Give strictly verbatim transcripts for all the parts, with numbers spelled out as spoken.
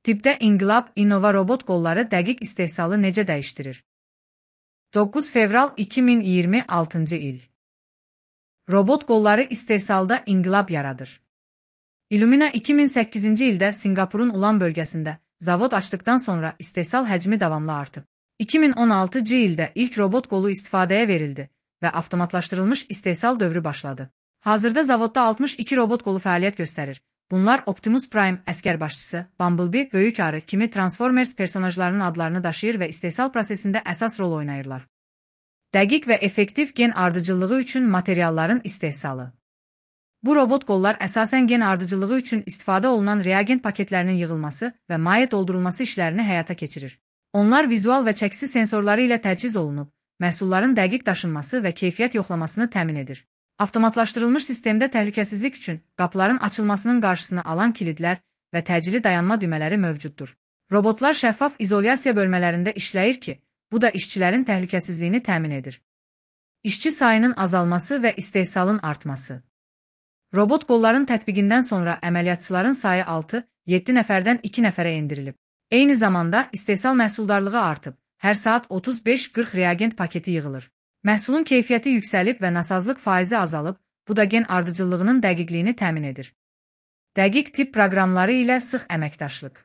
Tibbdə inqilab Innova robot qolları dəqiq istehsalı necə dəyişdirir? doqquz fevral iki min iyirmi altıncı il. Robot qolları istehsalda inqilab yaradır. Illumina iki min səkkizinci ildə Singapurun Ulan bölgəsində zavod açdıqdan sonra istehsal həcmi davamlı artıb. iki min on altıncı ildə ilk robot qolu istifadəyə verildi və avtomatlaşdırılmış istehsal dövrü başladı. Hazırda zavodda altmış iki robot qolu fəaliyyət göstərir. Bunlar Optimus Prime, əskər başçısı, Bumblebee, böyük arı kimi Transformers personajlarının adlarını daşıyır və istehsal prosesində əsas rol oynayırlar. Dəqiq və effektiv gen ardıcıllığı üçün materialların istehsalı. Bu robot qollar əsasən gen ardıcılığı üçün istifadə olunan reagent paketlərinin yığılması və maye doldurulması işlərini həyata keçirir. Onlar vizual və çəkisi sensorları ilə təchiz olunub, məhsulların dəqiq daşınması və keyfiyyət yoxlamasını təmin edir. Avtomatlaşdırılmış sistemdə təhlükəsizlik üçün qapıların açılmasının qarşısını alan kilidlər və təcili dayanma düymələri mövcuddur. Robotlar şəffaf izolyasiya bölmələrində işləyir ki, bu da işçilərin təhlükəsizliyini təmin edir. İşçi sayının azalması və istehsalın artması. Robot qolların tətbiqindən sonra əməliyyatçıların sayı altı yeddi nəfərdən iki nəfərə endirilib. Eyni zamanda istehsal məhsuldarlığı artıb, hər saat otuz beş qırx reagent paketi yığılır. Məhsulun keyfiyyəti yüksəlib və nasazlıq faizi azalıb, bu da gen ardıcıllığının dəqiqliyini təmin edir. Dəqiq tibb proqramları ilə sıx əməkdaşlıq.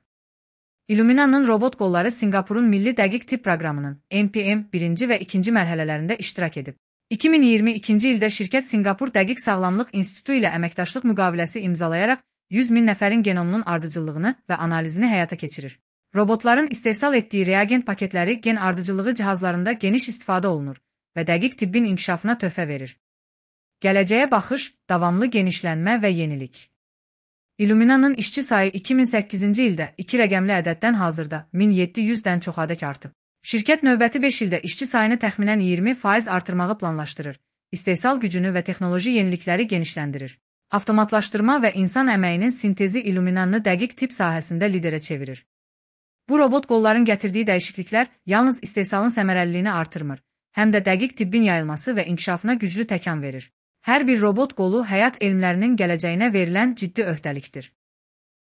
Illumina'nın robot qolları Singapurun Milli Dəqiq Tibb Proqramının M P M birinci və ikinci mərhələlərində iştirak edib. iki min iyirmi ikinci ildə şirkət Singapur Dəqiq Sağlamlıq İnstitutu ilə əməkdaşlıq müqaviləsi imzalayaraq yüz min nəfərin genomunun ardıcıllığını və analizini həyata keçirir. Robotların istehsal etdiyi reagent paketləri gen ardıcılığı cihazlarında geniş istifadə olunur və dəqiq tibbin inkişafına töhfə verir. Gələcəyə baxış, davamlı genişlənmə və yenilik. Illumina'nın işçi sayı iki min səkkizinci ildə iki rəqəmli ədəddən hazırda min yeddi yüzdən çox adək artıb. Şirkət növbəti beş ildə işçi sayını təxminən iyirmi faiz artırmağı planlaşdırır, istehsal gücünü və texnoloji yenilikləri genişləndirir. Avtomatlaşdırma və insan əməyinin sintezi Illumina'nı dəqiq tibb sahəsində liderə çevirir. Bu robot qolların gətirdiyi dəyişikliklər yalnız istehsalın səmərəliliyini artırmır, həm də dəqiq tibbin yayılması və inkişafına güclü təkan verir. Hər bir robot qolu həyat elmlərinin gələcəyinə verilən ciddi öhdəlikdir.